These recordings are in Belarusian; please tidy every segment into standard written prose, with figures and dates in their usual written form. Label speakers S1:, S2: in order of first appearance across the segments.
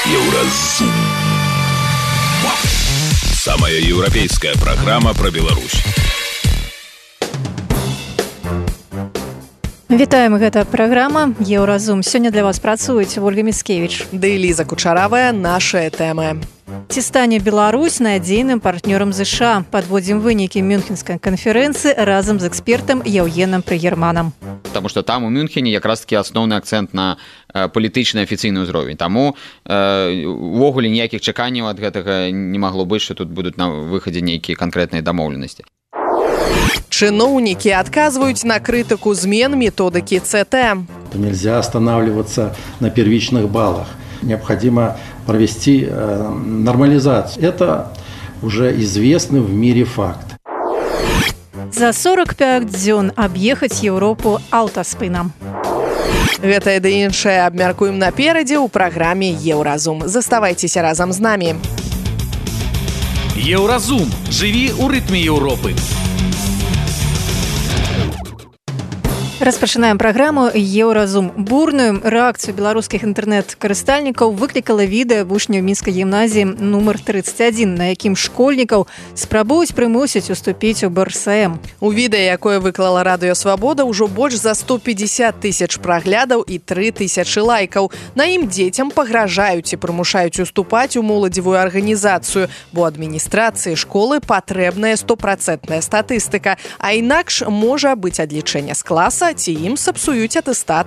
S1: Еўразум. Самая европейская программа про Беларусь.
S2: Вітаем, гэта праграма Еўразум. Сёння для вас працуюць Ольга Міцкевіч
S3: ды Ліза Кучаравая. Нашыя тэмы.
S2: Ці стане Беларусь надзейным партнёрам ЗША? Падводзім вынікі Мюнхенскай канферэнцыі разам з экспертам Яўгенам Прыгерманам.
S4: Потому что там у Мюнхене якраз таки асноўны акцэнт на палітычны афіцыйны ўзровень. Таму увогуле ніякіх чаканняў ад гэтага не магло быць, што тут будуць на выхадзе нейкія канкрэтныя дамоўленасці.
S3: Чиновники отказывают на критику змен методики ЦТ.
S5: Нельзя останавливаться на первичных баллах. Необходимо провести нормализацию. Это уже известный в мире факт.
S2: За 45 дзён аб'ехаць Еўропу аўтаспынам.
S3: Гэта і іншае абмяркуем наперадзе ў праграме Еўразум. Заставайцеся разам з намі.
S6: Еўразум. Жыві ў рытме Еўропы.
S2: Распачынаем праграму Еўразум. Бурную рэакцыю беларускіх інтэрнэт-карыстальнікаў выклікала відэа вучняў мінскай гімназіі нумар 31, на якім школьнікаў спрабуюць прымусіць уступіць у БРСМ.
S3: У відэа, якое выклала Радыё Свабода, ўжо больш за 150 тысяч праглядаў і 3 тысячы лайкаў. На ім дзецям пагражаюць і прымушаюць уступаць у моладзевую арганізацыю, бо адміністрацыі школы патрэбная 100% статыстыка, а інакш можа быць адлічэнне з класа ці ім сапсуюць атэстат.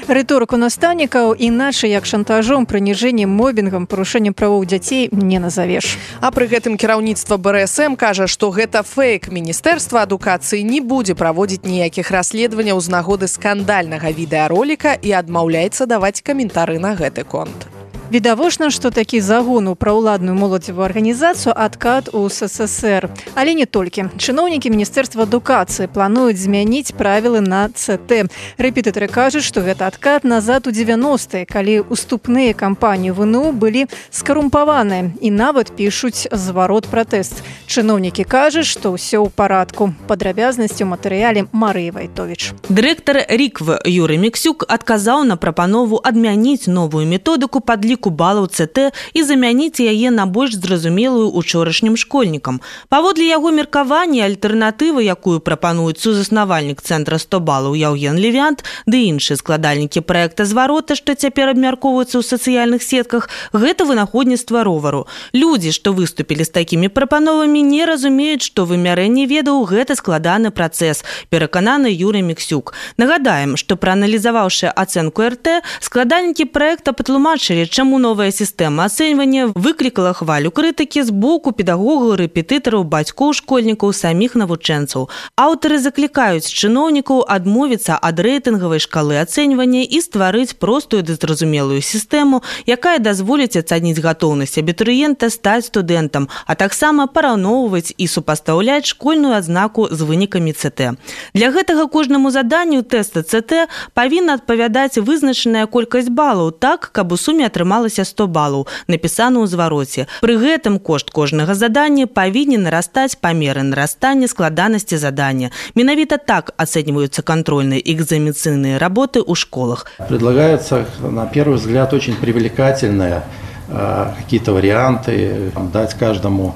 S2: Рыторыку настаўнікаў іначай як шантажом, прыніжэннем, мобінгам, парушэннем правоў дзяцей не назавеш.
S3: А пры гэтым кіраўніцтва БРСМ кажа, што гэта фэйк. Міністэрства адукацыі не будзе праводзіць ніякіх расследаванняў з нагоды скандальнага відэароліка і адмаўляецца даваць каментары на гэты конт.
S2: Відавочна, што такі загон у праўладную моладзевую арганізацыю адкат у СССР. Але не толькі. Чыноўнікі Міністэрства адукацыі плануюць змяніць правілы на ЦТ. Рэпетытары кажуць, што гэта адкат назад у 90-е, калі уступныя кампаніі ВНУ былі скарумпаваныя і нават пішуць зварот пратэст. Чыноўнікі кажуць, што ўсё ў парадку. Падрабязнасці ў матэрыяле Марыі Вайтовіч.
S7: Дырэктар РІКВ Юрый Міксюк адказаў на прапанову адмяніць новую методыку падліку балаў ЦТ і замяніць яе на больш зразумелую учорашнім школьнікам. Паводле яго меркавання, альтэрнатыва, якую прапануюць сузаснавальнік цэнтра 100 балаў Яўген Левянт ды іншыя складальнікі праекта зварота, што цяпер абмяркоўваюцца ў сацыяльных сетках, гэта вынаходніцтва ровару. Людзі, што выступілі з такімі прапановамі, не разумеюць, што вымярэнне ведаў гэта складаны працэс, перакананы Юрый Міксюк. Нагадаем, што прааналізаваўшы ацэнку РТ, складальнікі праекта патлумачылі, чаму новая сістэма ацэньвання выклікала хвалю крытыкі з боку педагогаў, рэпетытараў, бацькоў школьнікаў, саміх навучэнцаў. Аўтары заклікаюць чыноўнікаў адмовіцца ад рэйтынгавай шкалы ацэньвання і стварыць простую ды зразумелую сістэму, якая дазволіць ацаніць гатоўнасць абітурыента стаць студэнтам, а таксама параўноўваць і супастаўляць школьную адзнаку з вынікамі ЦТ. Для гэтага кожнаму заданню тэста ЦТ павінна адпавядаць вызначаная колькасць балаў так, каб у суме атрымалася 100 балаў, напісана ў звароце. Пры гэтым кошт кожнага задання павінен нарастаць па меры нарастання складанасці задання. Менавіта так ацэньваюцца контрольныя экзаменацыйныя работы ў школах.
S5: Предлагается, на первый взгляд, очень привлекательные какие-то варианты, дать каждому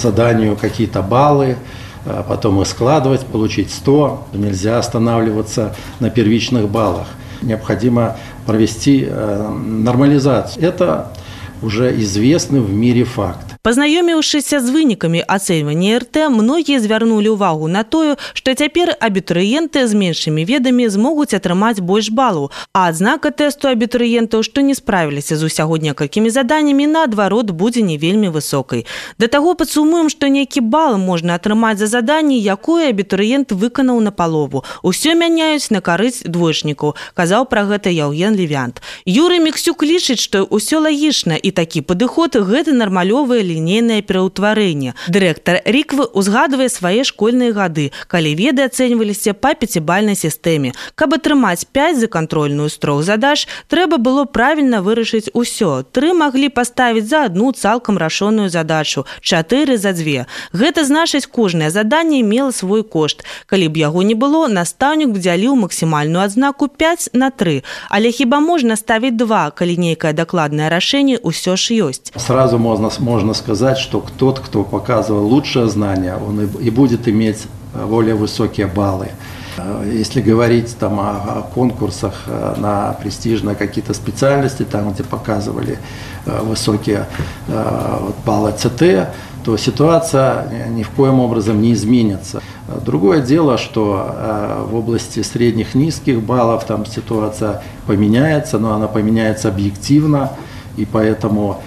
S5: заданию какие-то баллы, потом их складывать, получить 100. Нельзя останавливаться на первичных баллах. Необходимо провести нормализацию. Это уже известный в мире факт.
S7: Пазнаёміўшыся з вынікамі ацэньвання РТ, многія звярнулі ўвагу на тое, што цяпер абітурыенты з меншымі ведамі змогуць атрымаць больш балаў, а адзнака тэсту абітурыентаў, што не справіліся з усяго некалькімі заданнямі, наадварот, будзе не вельмі высокай. Да таго падсумуем, што нейкі бал можна атрымаць за заданне, якое абітурыент выканаў на палову. Усё мяняюць на карысць двоечнікаў, казаў пра гэта Яўген Левянт. Юрый Міксюк лічыць, што ўсё лагічна і такі падыход гэта нармалёвае лінейнае пераўтварэнне. Дырэктар Ріквы узгадвае свае школьныя гады, калі веды ацэньваліся па 5-бальнай сістэме. Каб атрымаць 5 за кантрольную з 3 задач, трэба было правільна вырашыць усё. 3 маглі паставіць за одну цалкам рашоную задачу, 4 за 2. Гэта значыць, кожнае заданне мела свой кошт. Калі б яго не было, настаўнік б дзяліў максімальную адзнаку 5 на 3. Але хіба можна ставіць 2, калі нейкае дакладнае рашэнне ўсё ж ёсць?
S5: Сразу можно сказать, что тот, кто показывал лучшее знание, он и будет иметь более высокие баллы. Если говорить там о конкурсах на престижные какие-то специальности, там, где показывали высокие баллы ЦТ, то ситуация ни в коем образом не изменится. Другое дело, что в области средних низких баллов там ситуация поменяется, но она поменяется объективно, и поэтому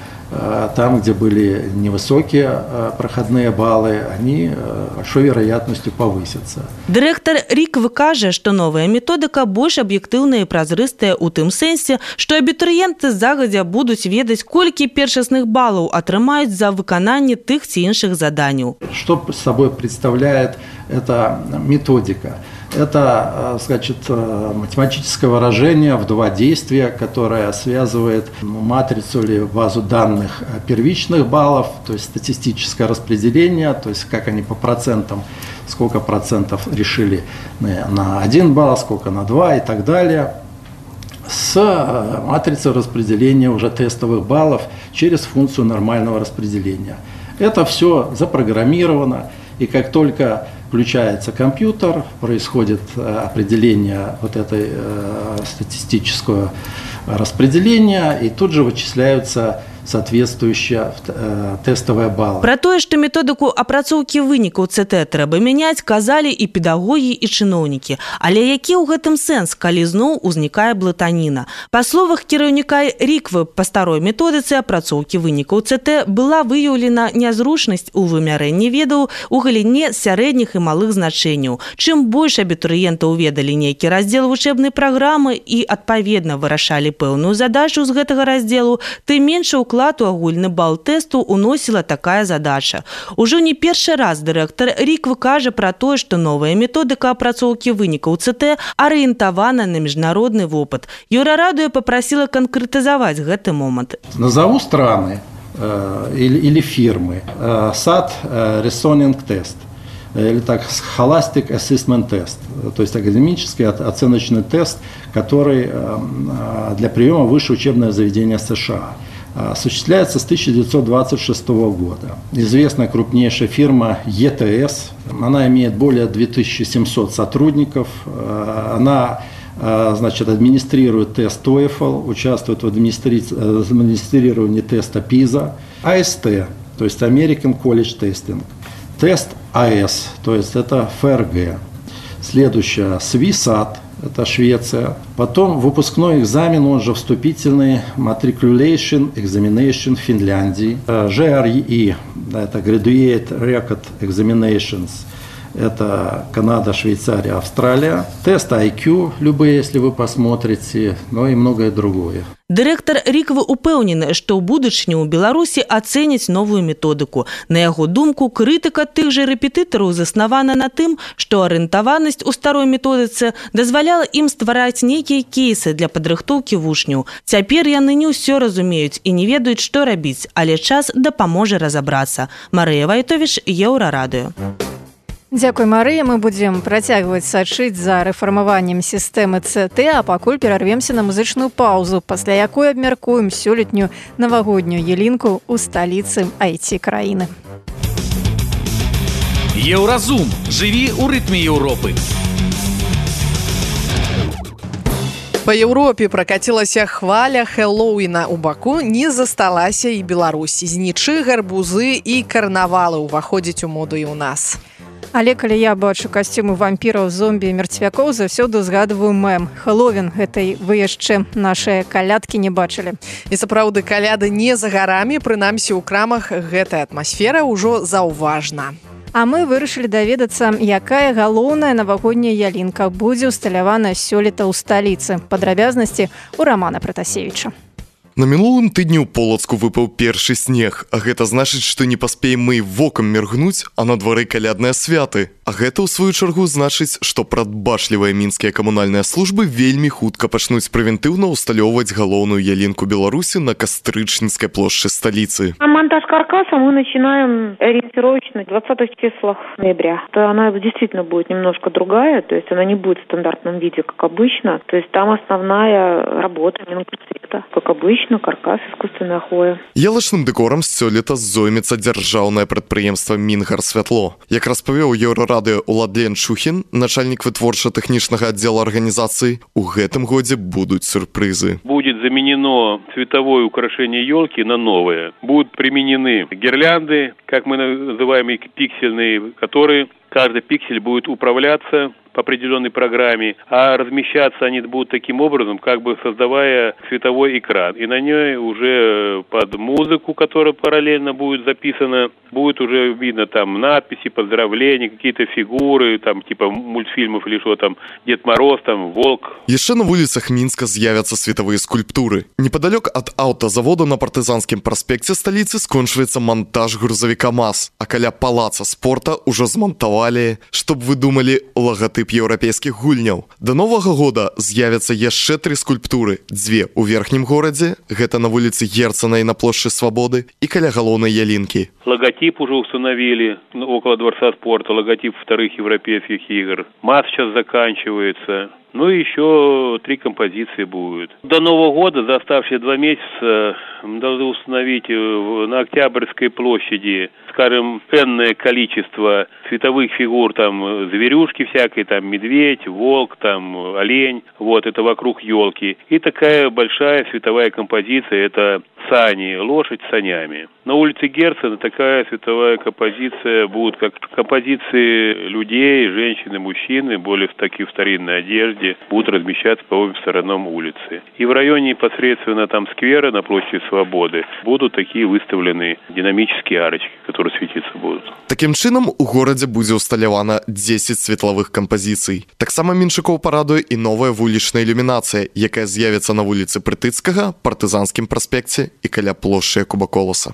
S5: там, где были невысокие проходные баллы, они большой вероятностью повысятся.
S7: Дырэктар Ріквы кажа, што новая методыка больш аб'ектыўная і празрыстая ў тым сэнсе, што абітурыенты загадзя будуць ведаць, колькі першасных балаў атрымаюць за выкананне тых ці іншых заданняў.
S5: Что собой представляет эта методика? Это, значит, математическое выражение в 2 действия, которое связывает матрицу или базу данных первичных баллов, то есть статистическое распределение, то есть как они по процентам, сколько процентов решили на 1 балл, сколько на 2 и так далее, с матрицей распределения уже тестовых баллов через функцию нормального распределения. Это все запрограммировано, и как только включается компьютер, происходит определение вот этой статистического распределения, и тут же вычисляются соответствующие тестовые баллы.
S7: Пра тое, што методыку апрацоўкі вынікаў ЦТ трэба мяняць, казалі і педагогі, і чыноўнікі. Але які ў гэтым сэнс, калі зноў узнікае блытаніна? Па словах кіраўніка Ріквы, па старой методыцы апрацоўкі вынікаў ЦТ была выяўлена нязручнасць у вымярэнні ведаў у галіне сярэдніх і малых значэнняў. Чым больш абітурыентаў ведалі нейкі раздзел вучэбнай праграмы і, адпаведна, вырашалі пэўную задачу з гэтага раздзелу, тым менш уклад у агульны бал тэсту уносіла такая задача. Ужо не першы раз дырэктар Ріквы кажа пра тое, што новая методыка апрацоўкі вынікаў ЦТ арыентавана на міжнародны вопыт. Еўрарадыё папрасіла канкрэтызаваць гэты момант.
S5: Назову страны или фирмы. SAT Reasoning Test. Или так, Scholastic Assessment Test, то есть академический оценочный тест, который для приема в высшее учебное заведение США. Осуществляется с 1926 года. Известная крупнейшая фирма ETS, она имеет более 2700 сотрудников, она, значит, администрирует тест TOEFL, участвует в администрировании теста PISA, AST, то есть American College Testing, тест AS, то есть это ФРГ. Следующее SWISAT, это Швеция. Потом выпускной экзамен, он же вступительный Matriculation Examination Финляндии. GRE, это Graduate Record Examinations, это Канада, Швейцария, Австралия. Тест IQ, любые, если вы посмотрите, но и многое другое.
S7: Дырэктар Ріквы упэўнены, што ў будучыні ў Беларусі ацэняць новую методыку. На яго думку, крытыка тых жа рэпетытараў заснавана на тым, што арыентаванасць у старой методыцы дазваляла ім ствараць нейкія кейсы для падрыхтоўкі вучняў. Цяпер яны не ўсё разумеюць і не ведаюць, што рабіць, але час дапаможа разабрацца. Марыя Вайтовіч, Еўрарадыё.
S2: Дзякуй, Марыя. Мы будзем працягваць сачыць за рэфармаваннем сістэмы ЦТ, а пакуль перарвемся на музычную паўзу, пасля якой абмяркуем сёлетнюю навагоднюю ялінку ў сталіцы IT-краіны.
S6: Еўразум. Жыві ў рытме Еўропы.
S3: Па Еўропе пракацілася хваля Хэллоуіна. У Баку не засталася і Беларусь. Знічы, гарбузы і карнавалы ўваходзяць у моду і ў нас.
S2: Але калі я бачу касцюмы вампіраў, зомбі і мерцвякоў, заўсёды згадваю мем. Хэллоуін гэтай вы яшчэ нашыя калядкі не бачылі.
S3: І сапраўды, каляды не за гарамі, прынамсі ў крамах гэтая атмасфера ўжо заўважна.
S2: А мы вырашылі даведацца, якая галоўная навагодняя ялінка будзе ўсталявана сёлета ў сталіцы. Падрабязнасці ў Рамана Пратасевіча.
S8: На мінулым тыдні ў Полацку выпаў першы снег, а гэта значыць, што не паспеем мы вокам міргнуць, а на двары калядныя святы. А гэта, ў сваю чаргу, значыць, што прадбачлівыя мінскія камунальныя службы вельмі хутка пачнуць прэвентыўна ўсталёўваць галоўную ялінку Беларусі на Кастрычніцкай плошчы столицы.
S9: А монтаж каркаса мы начинаем ориентировочно 20 числах ноября. Она действительно будет немножко другая, то есть она не будет в стандартном виде, как обычно. То есть там основная работа минкульцвета, как обычно. Каркас, искусственная хвоя.
S8: Ялачным дэкорам сёлета зоймецца дзяржаўнае прадпрыемства Мінгарсвятло. Як распавёў Еўрарадыё Уладлен Шухін, начальник вытворча-тэхнічнага аддзела арганізацыі, у гэтым годзе будуць сюрпрызы.
S10: Будет заменено цветовое украшение елки на новое. Будут применены гирлянды, как мы называем их, пиксельные, которые каждый пиксель будет управляться по определенной программе, а размещаться они будут таким образом, как бы создавая цветовой экран. И на ней уже под музыку, которая параллельно будет записана, будет уже видно там надписи, поздравления, какие-то фигуры, там типа мультфильмов или что там, Дед Мороз, там, Волк.
S8: Яшчэ на вуліцах Мінска з'явяцца светавыя скульптуры. Непадалёк ад аўтазавода на партызанскім праспекце сталіцы скончваецца монтаж грузавіка МАЗ, а каля палаца спорта ўжо змантавалі, чтоб вы думалі, лагатып еўрапейскіх гульняў. Да новага года з'явяцца яшчэ 3 скульптуры. 2 у верхнім горадзе, гэта на вуліцы Герцена і на плошчы Свабоды, і каля галоўнай ялінкі.
S10: Логотип уже установили около Дворца спорта, логотип вторых европейских игр. МАЗ сейчас заканчивается. Ну и еще 3 композиции будет. До Нового года за оставшиеся 2 месяца должны установить на Октябрьской площади, скажем, энное количество цветовых фигур, там зверюшки всякой, там медведь, волк, там олень, вот это вокруг елки. И такая большая световая композиция, это сани, лошадь с санями. На улице Герцена такая световая композиция будет, как композиции людей, женщин и мужчин, более в такой старинной одежде, будут размещаться по обеим сторонам улицы. И в районе непосредственно там сквера на площади Свободы будут такие выставлены динамические арочки, которые светиться будут.
S8: Таким чынам, у горадзе будзе усталявана 10 светлавых кампазіцый. Таксама Меншыкоў парадуе і новая вулічная ілюмінацыя, якая з'явіцца на вуліцы Прытыцкага, Партызанскім праспекце і каля плошчы Якуба Коласа.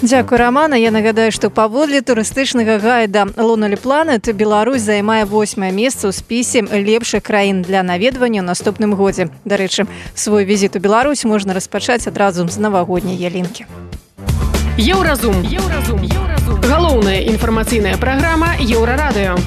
S2: Дзякуй, Рамана. Я нагадаю, што паводле турыстычнага гайда Lonely Planet Беларусь займае 8е месца ў спісе лепшых краін для наведвання ў наступным годзе. Дарэчы, свой візіт у Беларусь можна распачаць адразу з навагодняй ялінкі.
S11: Еўразум. Галоўная інфармацыйная праграма Еўрарадыё.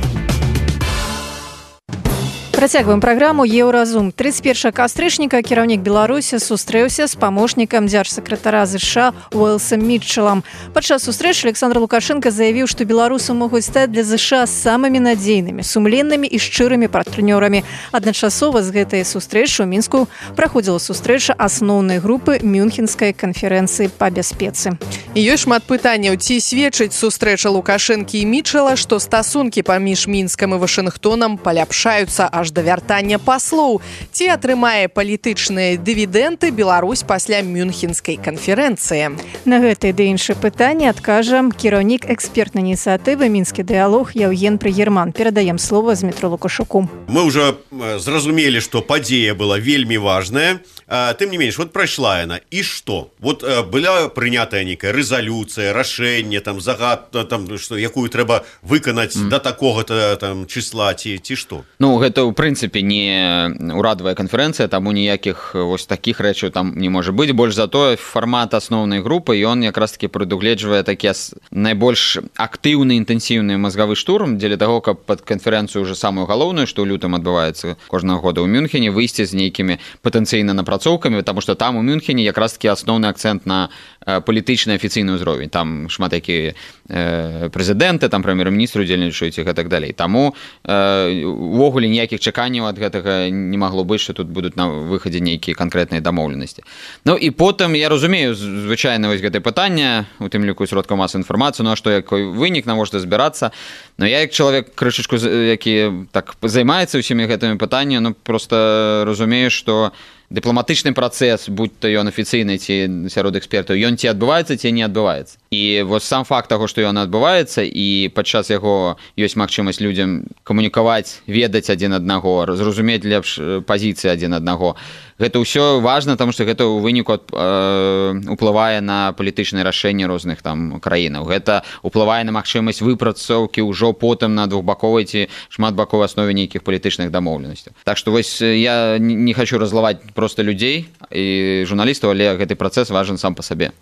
S2: Працягваем праграму «Еўразум». 31 кастрычніка кіраўнік Беларусі сустрэўся з памочнікам дзяржсакратара ЗША Уэлсом Мітчелам. Падчас сустрэчы Александр Лукашенко заявіў, што беларусы могуць стаць для ЗША самымі надзейнымі, сумленнымі і шчырымі партнёрамі. Адначасова з гэтай сустрэчы ў Мінску праходзіла сустрэча асноўнай групы Мюнхенскай канферэнцыі па бяспецы.
S3: І ёсць шмат пытанняў, ці сведчыць сустрэча Лукашэнкі і Мітчела, што стасункі паміж Мінскам і Вашынгтонам паляпшаюцца аж да вяртання паслоў. Ці атрымае палітычныя дывідэнды Беларусь пасля Мюнхенскай канферэнцыі?
S2: На гэтае ды іншыя пытанні адкажа кіраўнік экспертнай ініцыятывы «Мінскі дыялог» Яўген Прыгерман. Перадаем слово Змітру Лукашуку.
S12: Мы ўжо зразумелі, што падзея была вельмі важная. Тым не менш, вот прайшла яна. І што? Вот была прынятая нейкая рэзалюцыя, рашэнне, там, загад, там, што, якую трэба выканаць да такога-то там числа, ці што?
S4: Ну, гэта ў прынцыпе не урадавая канферэнцыя, таму ніякіх вось такіх рэчаў там не можа быць. Больш за тое, фармат асноўнай групы, ён якраз таки прадугледжвае такі найбольш актыўны, інтэнсіўны мазгавы штурм дзеля таго, каб пад канферэнцыю ўжо самую галоўную, што ў лютым адбываецца кожнага года ў Мюнхене, выйсці з нейкімі патэнцыйна напрацоўкамі, потому што там у Мюнхене якраз таки асноўны акцэнт на палітычны афіцыйны ўзровень. Там шмат якія прэзідэнты, там прэм'ер-міністры удзельнічаюць і так далей. Таму увогуле ніякіх чаканняў ад гэтага не магло быць, што тут будуць на выхадзе нейкія канкрэтныя дамоўленасці. Ну і потым я разумею звычайна вось гэтае пытанне, у тым ліку сродкаў масавай інфармацыі, ну а што якой вынік, навошта збірацца? Но я як чалавек крышачку, які так займаецца ўсімі гэтымі пытаннямі, ну просто разумею, што дыпламатычны працэс, будь то ён афіцыйны ці сярод экспертаў, ён ці адбываецца, ці не адбываецца. І вось сам факт таго, што ён адбываецца, і падчас яго ёсць магчымасць людзям камунікаваць, ведаць адзін аднаго, зразумець лепш пазіцыі адзін аднаго. Гэта ўсё важна, таму што гэта ў выніку уплывае на палітычныя рашэнні розных там краінаў. Гэта уплывае на магчымасць выпрацоўкі ўжо потым на двухбаковай ці шматбаковай аснове нейкіх палітычных дамоўленасцяў. Так што вось я не хочу разлаваць проста людзей і журналістаў, але гэты працэс важен сам па сабе.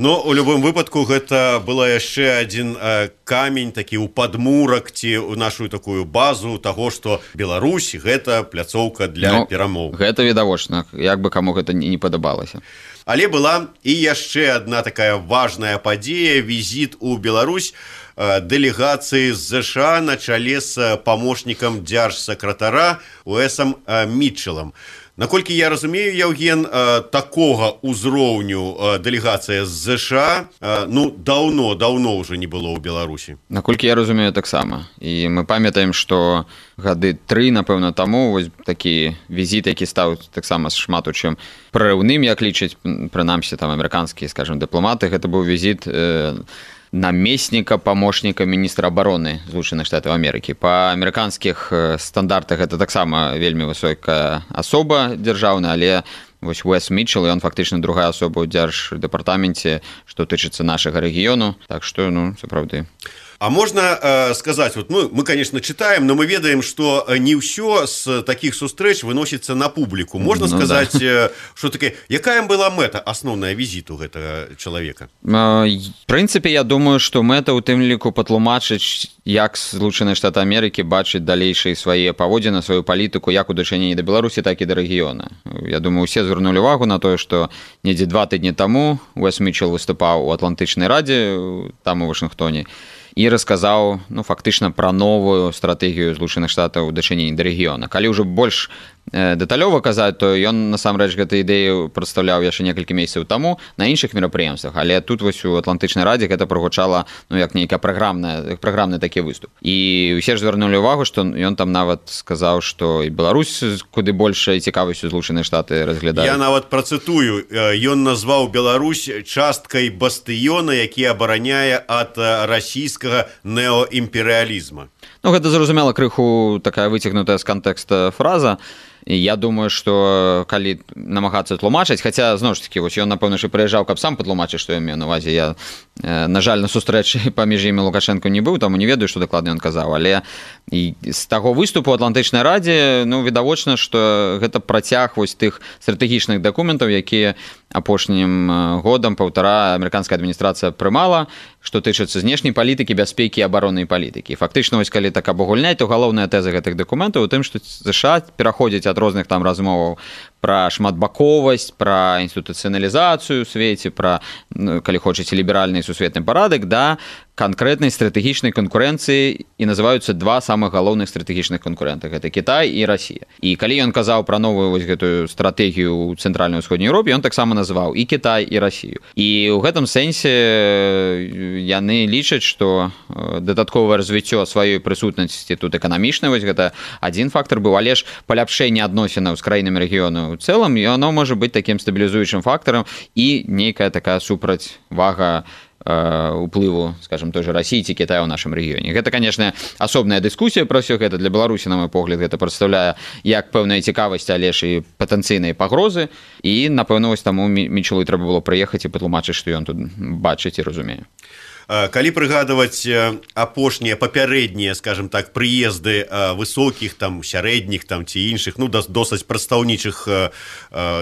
S12: Но у любым выпадку гэта была яшчэ адзін камень такі ў падмурак ці ў нашу такую базу таго, што Беларусь гэта пляцоўка для перамоў.
S4: Гэта відавочна, як бы каму гэта не падабалася.
S12: Але была і яшчэ адна такая важная падзея, візіт у Беларусь дэлегацыі з ЗША на чале з памочнікам дзяржсакратара Уэсам Мітчелам. Наколькі я разумею, Яўген, такога ўзроўню дэлегацыя з ЗША даўно ўжо не было ў Беларусі.
S4: Наколькі я разумею, таксама. І мы памятаем, што гады 3, напэўна, таму вось такі візіт, які стаў таксама шмат у чым прарыўным, як лічаць прынамсі там амерыканскія, скажем, дыпламаты, гэта быў візіт намесніка памочніка міністра абароны Злучаных Штатаў Амерыкі. Па амерыканскіх стандартах гэта таксама вельмі высокая асоба дзяржаўная, але вось Уэс Мітчел, ён фактычна другая асоба ў дзярждэпартаменце, што тычыцца нашага рэгіёну, так што, сапраўды.
S12: А можна сказаць, мы, конечно, читаем, но мы ведаем, што не ўсё з такіх сустрэч выносіцца на публіку. Можна сказаць, што таке, якая была мэта асноўная візіту гэтага чалавека?
S4: В прынцыпе, я думаю, што мэта ў тым ліку патлумачыць, як Злучаныя Штаты Амерыкі бачаць далейшыя свае паводзіны, сваю палітыку, як у дачыненні да Беларусі, так і да рэгіёна. Я думаю, усе звярнулі увагу на тое, што недзе 2 тыдні таму Уэс Мітчел выступаў у Атлантычнай радзе, там у Вашынгтоне, і расказаў, фактычна пра новую стратэгію Злучаных Штатаў у дачыненні да рэгіёна. Калі ўжо больш дэталёва казаць, то ён насамрэч гэту ідэю прадстаўляў яшчэ некалькі месяцаў таму на іншых мерапрыемствах, але тут вось у Атлантычнай радзе гэта прагучала як нейкі праграмны такі выступ. І ўсе ж звярнулі ўвагу, што ён там нават сказаў, што і Беларусь куды большай цікавасцю Злучаныя Штаты разглядаюць.
S12: Я нават працытую, ён назваў Беларусь часткай бастыёна, які абараняе ад расійскага неоімперыялізма.
S4: Гэта, зразумела, крыху такая выцягнутая з кантэкста фраза. Я думаю, што калі намагацца тлумачыць, хаця, зноў ж такі, ён, напэўна, прыязджаў, каб сам патлумачыць, што ён меў на ўвазе. Я, на жаль, на сустрэчы паміж імі Лукашэнка не быў, таму не ведаю, што дакладна ён казаў. Але з таго выступу ў Атлантычнай радзе, відавочна, што гэта працяг вось тых стратэгічных дакументаў, якія апошнім годам паўтара амерыканская адміністрацыя прымала, што тычыцца знешняй палітыкі, бяспекі і абароннай палітыкі. Фактычна, вось калі так абагульняць, то галоўная тэза гэтых дакументаў у тым, што ЗША пераходзіць ад розных там размоваў пра шматбаковасць, пра інстытуцыяналізацыю ў свеце, пра, калі хочаце, ліберальны сусветны парадак, да канкрэтнай стратэгічнай канкурэнцыі, і называюцца 2 самых галоўных стратэгічных канкурэнта. Гэта Кітай і Расія. І калі ён казаў пра новую вось гэтую стратэгію ў цэнтральнай усходняй Еўропе, ён таксама называў і Кітай, і Расію. І ў гэтым сэнсе яны лічаць, што дадатковае развіццё сваёй прысутнасці тут эканамічнай, вось гэта адзін фактар быў, але ж паляпшэнне адносінаў з краінамі рэгіёну ў цэлым, яно можа быць такім стабілізуючым фактарам і нейкая такая супрацьвага уплыву, скажем, той же России ці Китая ў нашым рэгіёне. Гэта, конечно, асобная дыскусія пра ўсё гэта. Для Беларусі, на мой погляд, гэта прадстаўляе як пэўная цікавасць, але ж і патэнцыйныя пагрозы. І, напэўна, вось таму Мітчелу трэба было прыехаць і патлумачыць, што ён тут бачыць і разумее.
S12: Калі прыгадваць апошнія папярэднія, скажем так, прыезды высокіх, там, сярэдніх там, ці іншых, досыць прадстаўнічых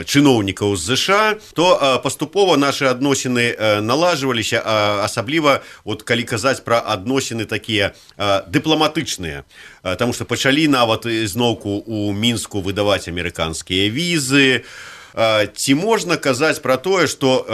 S12: чыноўнікаў з ЗША, то паступова нашы адносіны налажваліся, асабліва, калі казаць пра адносіны такія дыпламатычныя. Таму што пачалі нават зноўку ў Мінску выдаваць амерыканскія візы. Ці можна казаць пра тое, што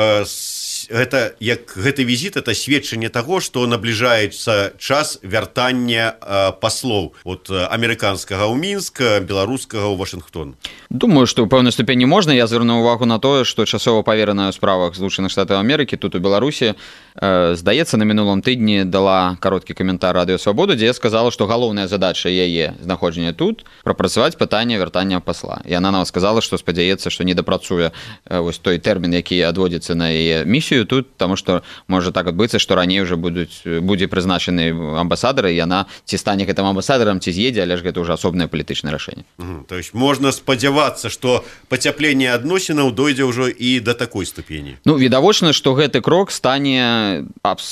S12: гэты візіт это сведчанне таго, што набліжаецца час вяртання паслоў от амерыканскага ў Мінск, беларускага ў Вашынгтон.
S4: Думаю, што ў пэўнай ступені можна. Я звярнуў увагу на тое, што часова павераная ў справах Злучаных Штатаў Амерыкі тут у Беларусі, здаецца, на мінулым тыдні дала кароткі каментар Радыё Свабода, дзе я сказала, што галоўная задача яе знаходжання тут прапрацаваць пытанне вяртання пасла. І яна нам сказала, што спадзяецца, што не дапрацуе вось той тэрмін, які адводзіцца на яе місію місію тут, тому што можа так адбыцца, што раней уже будзе прызначаны амбасадар, і яна ці стане гэтым амбасадарам, ці з'едзе, але ж гэта ўжо асобнае палітычнае рашэнне.
S12: То есть можна спадзявацца, што пацяпленне адносінаў дойдзе ўжо і да такой ступені.
S4: Ну, відавочна, што гэты крок стане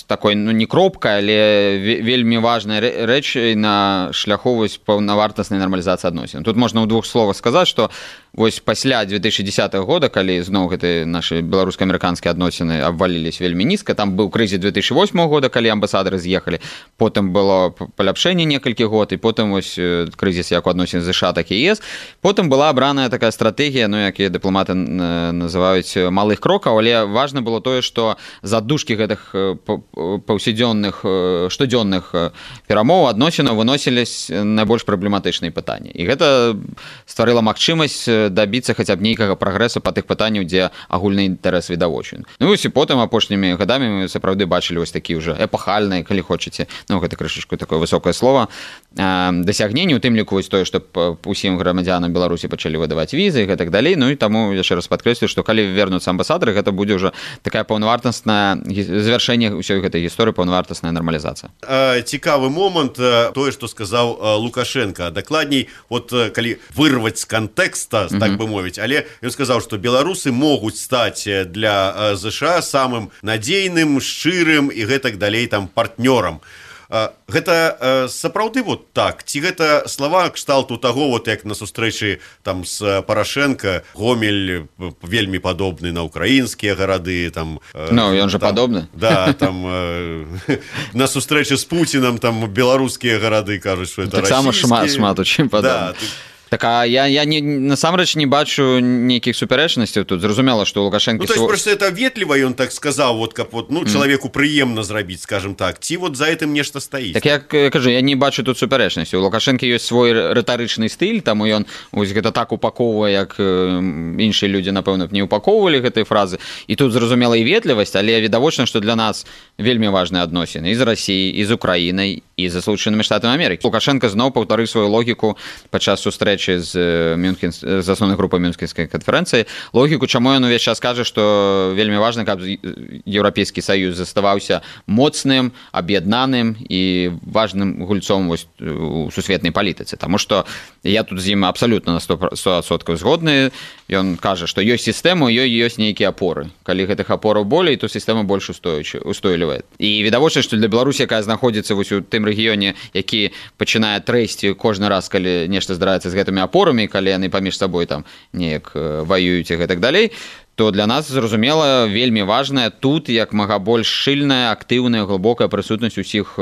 S4: такой, ну, не кропкай, але вельмі важнай рэчай на шляху паўнавартаснай нармалізацыі адносін. Тут можна ў двух словах сказаць, што вось пасля 2010 года, калі зноў гэты нашы беларуска-амерыканскія адносіны абвалілись вельмі нізка, там быў крызіс 2008 года, калі амбасадары з'ехалі, потым было паляпшэнне некалькі год, і потым вось крызіс як у адносін ЗША, так і ЕС. Потым была абраная такая стратэгія, ну, якія дыпламаты называюць малых крокаў, але важна было тое, што з аддушкі гэтых паўсядзённых, штодзённых перамоў адносінаў выносілись найбольш праблематычныя пытанні. І гэта стварыла магчымасць дабіцца хаця б нейкага прагрэсу па тых пытанняў, дзе агульны інтарэс відавочен. Ну, і потым апошнімі гадамі мы сапраўды бачылі вось такі ўжо эпахальныя, калі хочаце, ну, гэта крышачку такое высокае слова, дасягненні, у тым ліку вось тое, што усім грамадзянам Беларусі пачалі выдаваць візы і гэтак далей. Ну, і таму яшчэ раз падкрэслю, што калі вернуцца амбасадары, гэта будзе ўжо такая паўнавартасная завяршэнне ўсёй гэтай гісторыі, паўнавартасная нармалізацыя.
S12: Цікавы момант, тое, што сказаў Лукашенко. Дакладней, вот калі вырваць з кантэкста, так бы мовіць, але ён сказаў, што беларусы могуць стаць для ЗША самым надзейным, шчырым і гэтак далей там партнёрам. Гэта сапраўды вот так, ці гэта слова кшталту таго, вот як на сустрэчы там з Парашенко, Гомель вельмі падобны на украінскія гарады, там...
S4: Ну, ён жа падобны.
S12: Да, там на сустрэчы з Пуцінам там беларускія гарады кажуць, што это расійскія.
S4: Так сама шмат у чым падобны. Так, а я насамрэч не бачу нейкіх супярэчнасцяў тут. Зразумела, што Лукашенко...
S12: Ну, то есть, просто это ветліва, ён так сказаў, вот, каб вот, ну, чалавеку прыемна зрабіць, скажем так, ці вот за гэтым нешта стаіць.
S4: Так я кажу, я не бачу тут супярэчнасці. У Лукашенко ёсць свой рытарычны стыль, таму ён вось гэта так упаковвае, як іншыя людзі, напэўна, не упаковвалі гэтай фразы. І тут зразумела і ветлівасць, але відавочна, што для нас вельмі важныя адносіны і з Расіяй, і з Украінай, і з Злучанымі Штатамі Амерыкі. Лукашенко зноў паўтарыў сваю логіку падчас сустрэчы з асноўнай групай Мюнхенскай канферэнцыі, логіку, чаму ён увесь час кажа, што вельмі важна, каб Еўрапейскі Саюз заставаўся моцным, аб'яднаным і важным гульцом вось у сусветнай палітыцы. Таму што я тут з ім абсалютна на 100% згодны. Ён кажа, што ёсць сістэма, ёй ёсць нейкія апоры. Калі гэтых апораў болей, то сістэма больш устойлівая. І відавочна, што для Беларусі, якая знаходзіцца вось у тым рэгіёне, які пачынае трэсці кожны раз, калі нешта здараецца з гэтымі апорамі, калі яны паміж сабой там неяк ваююць і гэтак далей, то для нас, зразумела, вельмі важная тут як мага больш шчыльная, актыўная, глыбокая прысутнасць усіх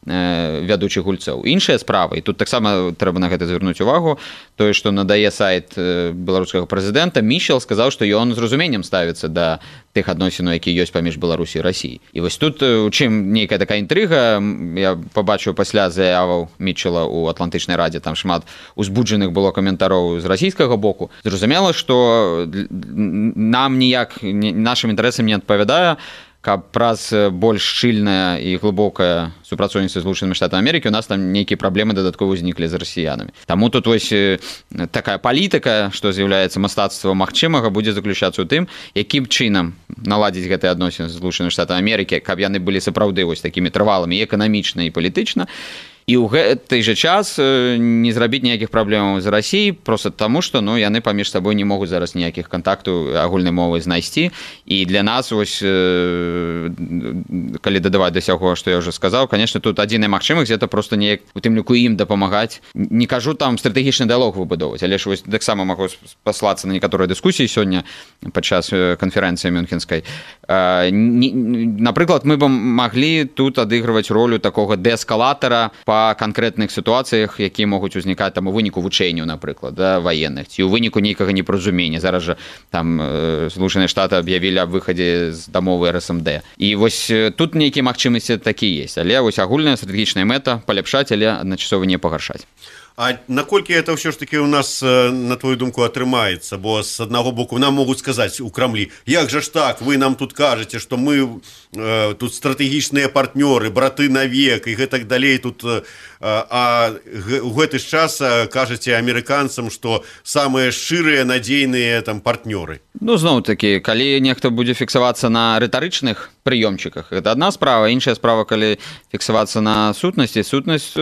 S4: вядучых гульцоў. Іншая справа, і тут таксама трэба на гэта звярнуць увагу, тое, што надае сайт беларускага прэзідэнта, Мішэл сказаў, што ён з разуменнем ставіцца да тых адносінаў, якія ёсць паміж Беларусі і Расіяй. І вось тут у чым нейкая такая інтрыга, я пабачыў пасля заяваў Мічэла ў Атлантычнай радзе, там шмат узбуджаных было каментароў з расійскага боку. Зразумела, што нам ніяк нашым інтарэсам не адпавядае, каб праз больш шчыльнае і глыбокае супрацоўніцтва з Злучанымі Штатамі Амерыкі у нас там нейкія праблемы дадаткова ўзніклі з расіянамі. Таму тут вось такая палітыка, што з'яўляецца мастацтвам магчымага, будзе заключацца ў тым, якім чынам наладзіць гэтыя адносіны з Злучанымі Штатамі Амерыкі, каб яны былі сапраўды вось такімі трывалымі і эканамічна, і палітычна. І ў гэты жа час не зрабіць ніякіх праблемаў з Расіяй, проста таму, што ну, яны паміж сабой не могуць зараз ніякіх кантактаў агульнай мовы знайсці. І для нас, ось, калі дадаваць да сяго, што я ўжо сказаў, конечно, тут адзіная магчымасць, гэта проста неяк у тым ліку ім дапамагаць. Не кажу там стратэгічны дыялог выбудоўваць, але ж вось таксама магу паслацца на некаторыя дыскусіі сёння падчас канферэнцыі Мюнхенскай. Напрыклад, мы бы маглі тут адыгрываць ролю такога дээскалатара па канкрэтных сітуацыях, якія могуць узнікаць там у выніку вучэнняў, напрыклад, да, ваенных, ці у выніку нейкага непаразумення. Зараз жа там Злучаныя Штаты аб'явілі аб выхадзе з дамовы РСМД. І вось тут нейкія магчымасці такі ёсць, але вось агульная стратэгічная мэта паляпшаць, але адначасова не пагаршаць.
S12: А наколькі это ўсё ж таки у нас, на твою думку, атрымаецца? Бо з аднаго боку нам могуць сказаць у Крамлі: як жа ж так, вы нам тут кажаце, што мы тут стратэгічныя партнёры, браты навек і гэтак далей тут, а у гэты ж час кажаце амерыканцам, што самыя шчырыя, надзейныя там партнёры.
S4: Ну, зноў-такі, калі нехта будзе фіксавацца на рытарычных прыёмчыках, гэта адна справа. Іншая справа, калі фіксавацца на сутнасці. Сутнасць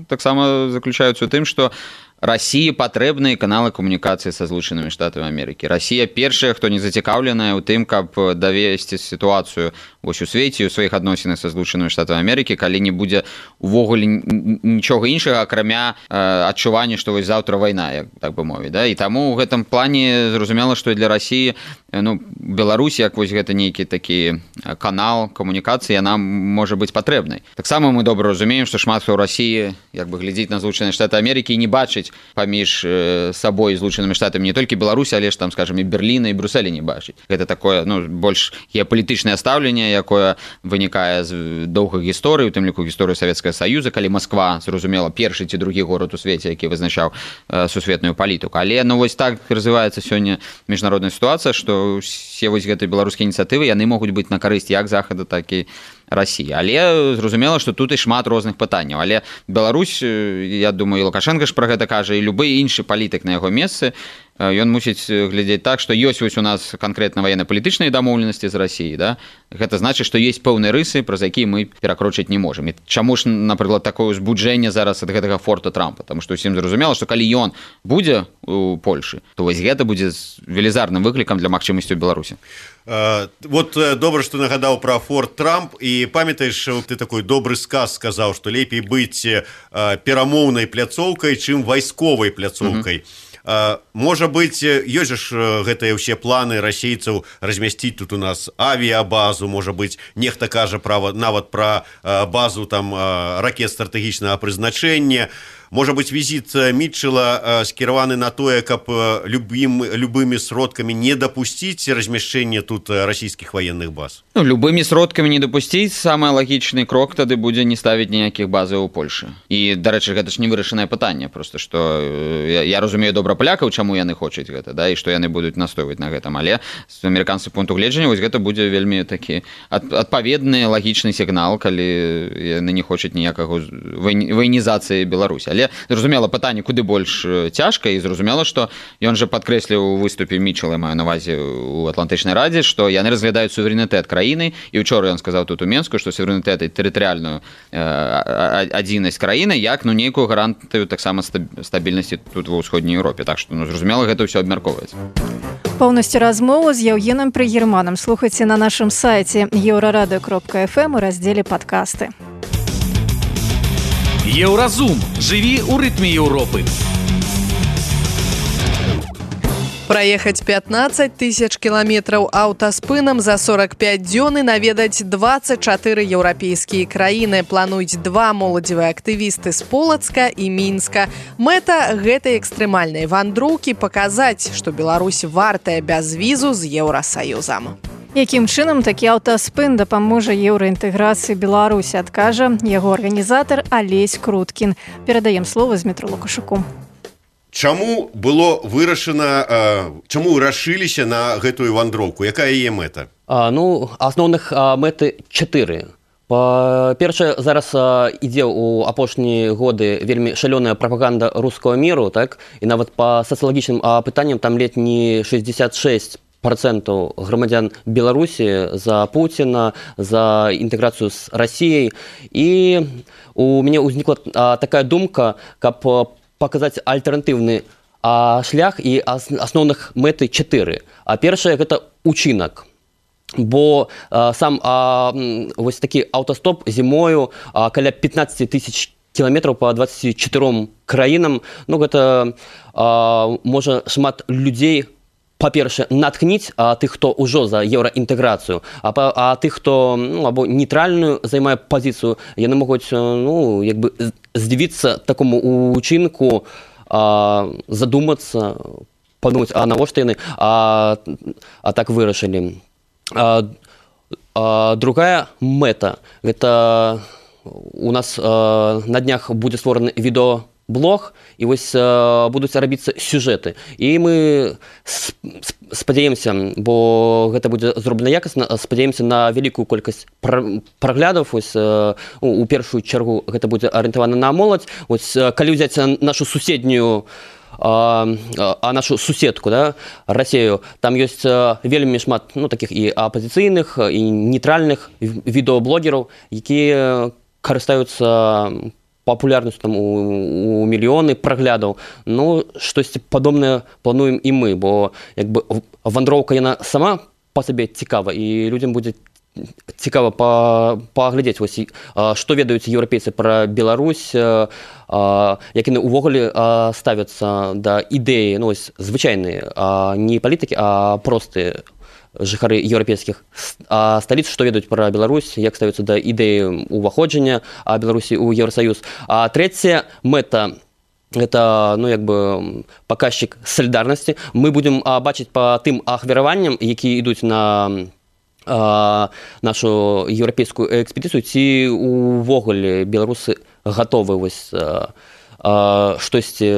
S4: таксама заключаецца ў тым, што России патрэбныя каналы камунікацыі са Злучанымі Штатамі Амерыкі. Россия першая, хто не зацікаўленая ў тым, каб давесці сітуацыю вось у свеце, у сваіх адносінах са Злучанымі Штатамі Амерыкі, калі не будзе увогуле нічога іншага, акрамя адчування, што вось заўтра вайна, як так бы мовіць, да? І таму ў гэтым плане зразумела, што для России, ну, Беларусь, як вось гэта нейкі такі канал камунікацыі, яна можа быць патрэбнай. Таксама мы добра разумеем, што шмат хто ў России як бы глядзіць на Злучаныя Штаты Амерыкі і не бачыць паміж сабой Злучанымі Штатамі не толькі Беларусі, але ж там, скажем, і Берліна, і Брюсселя не бачыць. Гэта такое, ну, больш геапалітычнае стаўленне, якое вынікае з доўгай гісторыі, у тым ліку гісторыі Савецкага Саюза, калі Масква, зразумела, першы ці другі горад у свеце, які вызначаў сусветную палітыку. Але, ну, вось так развіваецца сёння міжнародная сітуацыя, што ўсе вось гэтыя беларускія ініцыятывы, яны могуць быць на карысць як Захада, так і России. Але зразумела, што тут і шмат розных пытанняў. Але Беларусь, я думаю, і Лукашенко ж пра гэта кажа, і любы іншы палітык на яго месцы, ён мусіць глядзець так, што ёсць вось у нас канкрэтна ваенна-палітычныя дамоўленасці з Россией, да? Гэта значыць, што ёсць пэўныя рысы, праз якія мы перакрочыць не можам. І чаму ж, напрыклад, такое узбуджэнне зараз ад гэтага форта Трампа? Таму што ўсім зразумела, што калі ён будзе у Польшы, то вось гэта будзе велізарным выклікам для магчымасцяў Беларусі.
S12: Вот добра, што нагадаў пра форт Трамп, і памятаеш, ты такой добры сказ сказаў, што лепей быць перамоўнай пляцоўкай, чым вайсковай пляцоўкай. Можа быць, ёсць ж гэтыя ўсе планы расейцаў размясціць тут у нас авіябазу, можа быць, нехта кажа нават пра базу там ракет стратэгічнага прызначэння. Можа быць, візіт Мітчэла скіраваны на тое, каб любымі сродкамі не дапусціць размяшчэнне тут расійскіх ваенных баз? Ну,
S4: любымі сродкамі не дапусціць, самы лагічны крок тады будзе не ставіць ніякіх базаў у Польшы. І, дарэчы, гэта ж не вырашанае пытанне, просто што я разумею добра палякаў, чаму яны хочуць гэта, да, і што яны будуць настойваць на гэтым, але з амерыканскага пункту гледжання вось гэта будзе вельмі такі адпаведны лагічны сігнал, калі яны не хочуць ніякага ваенізацыі Беларусі. Але зразумела, пытанне куды больш цяжка, і зразумела, што ён жа падкрэсліў у выступе Мітчэла, маю на ўвазе у Атлантычнай радзе, што яны разглядаюць суверэнітэт краіны, і учора ён сказаў тут у Менску, што суверэнітэт і тэрытарыяльную адзіннасць краіны як, ну, нейкую гарантыю таксама стабільнасці тут ва ўсходняй Еўропе. Так што, ну, зразумела, гэта ўсё абмяркоўваецца.
S2: Поўнасцю размову з Яўгенам Прыгерманам слухайце на нашым сайце еўрарадыё.фм у раздзеле падкасты.
S6: Еўразум. Жыві ў рытме Еўропы.
S3: Праехаць 15 тысяч кіламетраў аўтаспынам за 45 дзён і наведаць 24 еўрапейскія краіны. Плануюць два моладзевыя актывісты з Полацка і Мінска. Мэта гэтай экстрэмальнай вандроўкі паказаць, што Беларусь вартая без візу з Еўрасаюзам.
S2: Якім чынам такі аўтаспын дапаможа еўраінтэграцыі Беларусі, адкажа яго арганізатар Алесь Круткін. Перадаем слова Змітру Лукашуку.
S12: Чаму было вырашана, чаму рашыліся на гэтую вандроўку? Якая яе мэта?
S13: Ну, асноўных мэты 4. Па-першае, зараз ідзе ў апошнія годы вельмі шалёная прапаганда рускага міру, так? І нават па сацыялагічным пытанням там ледь не 66% грамадзян Беларусі за Пуціна, за інтэграцыю з Расіяй. І у мяне ўзнікла такая думка, каб паказаць альтэрнатыўны шлях, і асноўных мэты 4. А першае гэта учынак. Бо сам вось такі аўтастоп зімою каля 15 тысяч кіламетраў па 24 краінам, ну гэта можа шмат людзей, па-першае, натхніць тых, хто ўжо за еўраінтэграцыю, а тых, хто або нейтральную займае пазіцыю, яны могуць як бы здзівіцца такому учынку, задумацца, падумаць, а навошта яны так вырашылі. Другая мэта, гэта у нас на днях будзе створаны відеоблог блог, і вось будуць рабіцца сюжэты. І мы спадзяемся, бо гэта будзе зроблена якасна, спадзяемся на вялікую колькасць праглядаў. Вось у першую чаргу гэта будзе арыентавана на моладзь. Вось калі ўзяць нашу суседнюю нашу суседку, да, Расею, там ёсць вельмі шмат такіх і апазіцыйных, і нейтральных відэаблогераў, якія карыстаюцца папулярнасцю там у мільёны праглядаў. Штосьці падобнае плануем і мы, бо як бы вандроўка яна сама па сабе цікава, і людзям будзе цікава паглядзець, што ведаюць еўрапейцы пра Беларусь, як яны ўвогуле ставяцца да ідэі, звычайныя, не палітыкі, а простыя жыхары еўрапейскіх сталіц, што ведаюць пра Беларусь, як ставяцца да ідэі ўваходжання Беларусі ў Еўрасаюз. А трэцяя мэта – гэта, паказчык салідарнасці. Мы будзем бачыць па тым ахвяраванням, якія ідуць на нашу еўрапейскую экспедыцыю, ці увогуле беларусы гатовы штосьці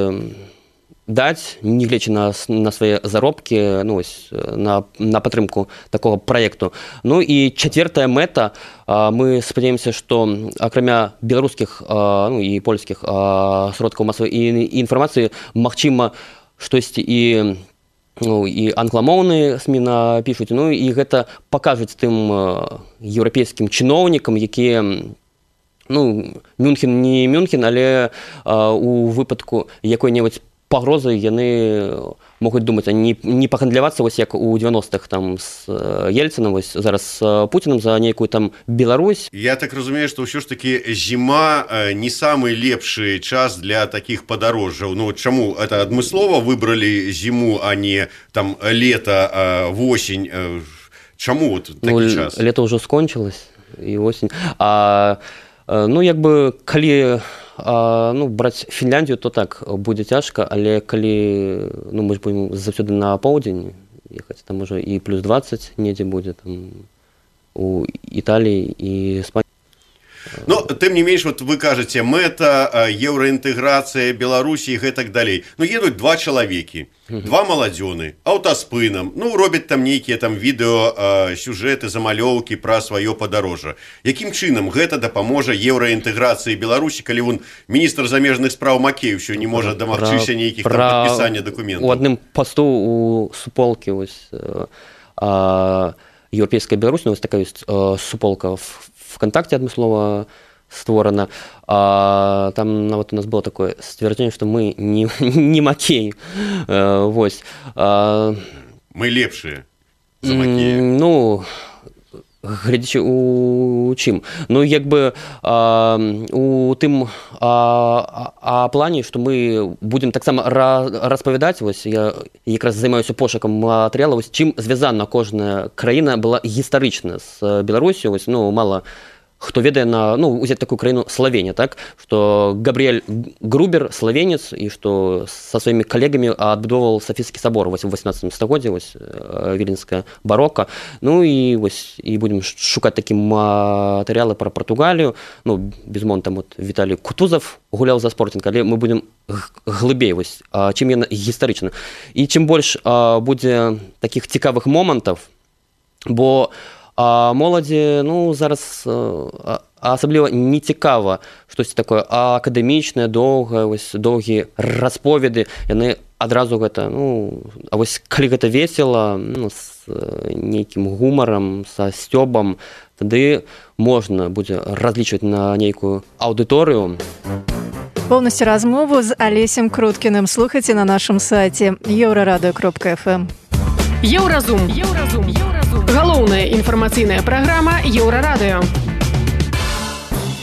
S13: даць, нягледзячы на свае заробкі, на падтрымку такога праекту. І чацвёртая мэта, мы спадзяемся, што акрамя беларускіх і польскіх сродкаў масавай інфармацыі, магчыма, штосьці і англамоўныя СМІ напішуць, і гэта пакажуць тым еўрапейскім чыноўнікам, якія, Мюнхен не Мюнхен, але у выпадку якой-небудзь пагрозы яны могуць думаць, не пагандлявацца, як у 90-х там з Ельцынам, зараз з Пуціным за нейкую там Беларусь.
S12: Я так разумею, што ўсё ж такі зіма не самы лепшы час для такіх падарожжаў. Чаму это адмыслова выбралі зіму, а не там лета, восень? Чаму такі час?
S13: Лето ўжо скончылось, і осень. Калі браць Фінляндію, то так, будзе цяжка, але калі мы ж будзем заўсёды на поўдзень ехаць, там можа і плюс 20 недзе будзе там у Італіі і Іспаніі.
S12: Тым не менш, вы кажаце, мэта, еўраінтэграцыя, Беларусі і гэтак далей. Едуць два чалавекі, два маладзёны, аўтаспынам, робяць там нейкія там відэо, сюжэты, замалёўкі пра сваё падарожжа. Якім чынам гэта дапаможа еўраінтэграцыі Беларусі, калі вон міністр замежных спраў Макеев ўсё не можа дамагчыся нейкіх там падпісання дакументаў?
S13: У адным пасту у суполкі еўрапейская Беларусь, такая ёсць суполка ВКонтакте адмыслова створана. Там нават у нас было такое сцвярджэнне, што мы не Макей.
S12: Мы лепшыя за Макея.
S13: Глядзячы у чым. У тым плане, што мы будзем таксама распавядаць, я якраз займаюся пошукам матэрыялаў, чым звязана кожная краіна была гістарычна з Беларусю. Мала хто ведае узяць такую краіну Славенія, так, што Габрыэль Грубер славенец, і што са сваімі калегамі адбудоўваў Сафійскі сабор у 18 стагоддзі, віленская барока. І будзем шукаць такія матэрыялы пра Партугалію. Безумоўна, там Віталій Кутузов гуляў за Спортинг, але мы будзем глыбей, чым яна гістарычна. І чым больш будзе такіх цікавых момантаў, бо моладзі зараз асабліва не цікава штосьці такое акадэмічнае, доўгія расповеды. Яны адразу гэта, калі гэта весела, з нейкім гумарам, са сцёбам, тады можна будзе разлічваць на нейкую аўдыторыю.
S2: Поўнасцю размову з Алесем Круткіным слухайце на нашым сайце еўрарадыё.фм.
S11: Еўразум. Галоўная інфармацыйная праграма Еўрарадыё.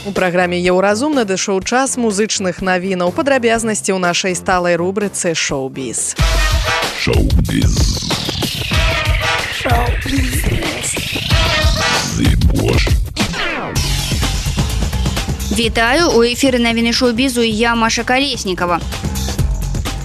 S3: У праграме Еўразум надышоў час музычных навінаў. Падрабязнасці ў нашай сталай рубрыцы «Шоу-біз».
S14: Вітаю, у эфіры навіны шоу-бізу, я Маша Калеснікава.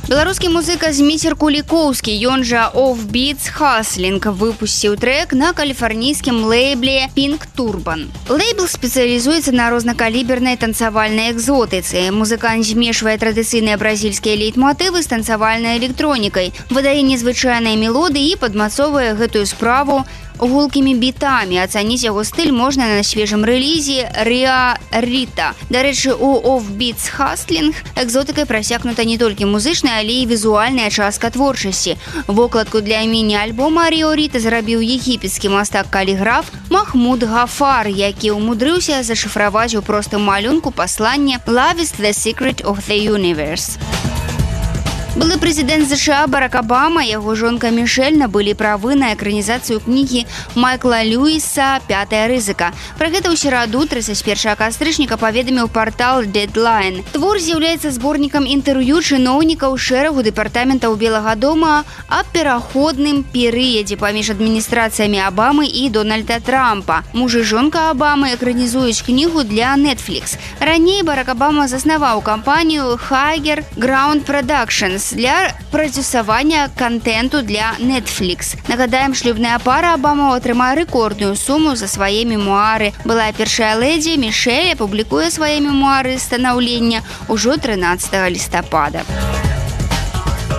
S14: Беларускі музыка Зміцер Кулікоўскі, ён жа Offbeats Hustling, выпусціў трек на каліфарнійскім лейбле Pink Turban. Лейбл спецыялізуецца на рознакалібернай танцавальнай экзотыцы. Музыкант змешвае традыцыйныя бразільскія лейтмотывы з танцавальнай электронікай, выдае незвычайныя мелодыі і падмацоўвае гэтую справу гулкімі бітамі. Ацаніць яго стыль можна на свежым рэлізе Риа Рита. Дарэчы, у Offbeats Hustling экзотыкай прасякнута не толькі музычная, але і візуальная частка творчасці. Вокладку для міні-альбома Рио Рита зрабіў егіпецкі мастак-каліграф Махмуд Гафар, які ўмудрыўся зашыфраваць у простым малюнку пасланне «Love is the secret of the universe». Былы прэзідэнт США Барак Абама, яго жонка Мішэль набылі правы на экранізацыю кнігі Майкла Льюіса «Пятая рызыка». Пра гэта ў сераду 31 кастрычніка паведаміў партал Deadline. Твор з'яўляецца зборнікам інтэрв'ю чыноўнікаў шэрагу дэпартаментаў Белага дома аб пераходным перыядзе паміж адміністрацыямі Абамы і Дональда Трампа. Муж і жонка Абамы экранізуюць кнігу для Netflix. Раней Барак Абама заснаваў кампанію Higher Ground Productions для прадзюсавання контенту для Netflix. Нагадаем, шлюбная пара Абама атрымае рэкордную суму за свае мемуары. Былая першая лэдзі Мішэль апублікуе свае мемуары станаўлення ўжо 13 лістапада.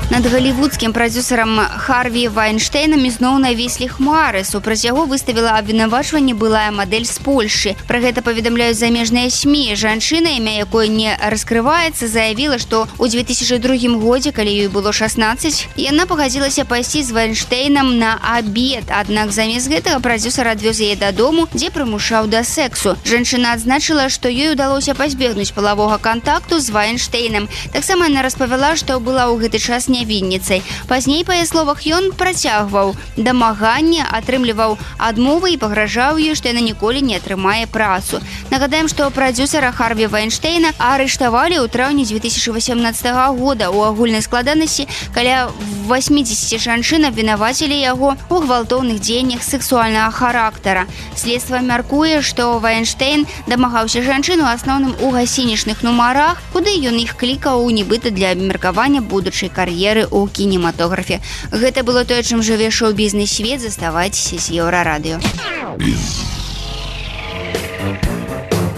S14: Над галівудскім прадзюсарам Харві Вайнштейнам ізноў навіслі хмары. Супраць яго выставіла абвінавачванне былая мадэль з Польшы. Пра гэта паведамляюць замежныя СМІ. Жанчына, імя якой не раскрываецца, заявіла, што ў 2002 годзе, калі ёй было 16, яна пагадзілася пайсці з Вайнштейнам на абед. Аднак замест гэтага прадзюсар адвёз яе дадому, дзе прымушаў да сексу. Жанчына адзначыла, што ёй удалося пазбегнуць палавога кантакту з Вайнштейнам. Таксама яна распавяла, што была ў гэты час нявінніцай. Пазней, па яе словах, ён працягваў дамаганне, атрымліваў адмовы і пагражаў ёй, што яна ніколі не атрымае працу. Нагадаем, што прадзюсара Харві Вайнштейна арыштавалі ў траўні 2018 года. У агульнай складанасці каля 80 жанчын абвінавацілі яго ў гвалтоўных дзеяннях сексуальнага характара. Следства мяркуе, што Вайнштейн дамагаўся жанчын у асноўным у гасцінічных нумарах, куды ён іх клікаў нібыта для абмеркавання будучай кар'еры у кінематографе. Гэта было тое, чым жыве шоу-бізнес свет. Заставайцеся з Еўрарадыё.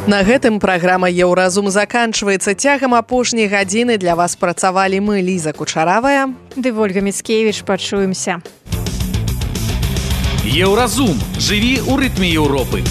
S3: На гэтым праграма «Еўразум» заканчваецца. Цягам апошняй гадзіны для вас працавалі мы, Ліза Кучаравая
S2: ды Вольга Міцкевіч. Пачуемся.
S6: Еўразум. Жыві ў рытме Еўропы.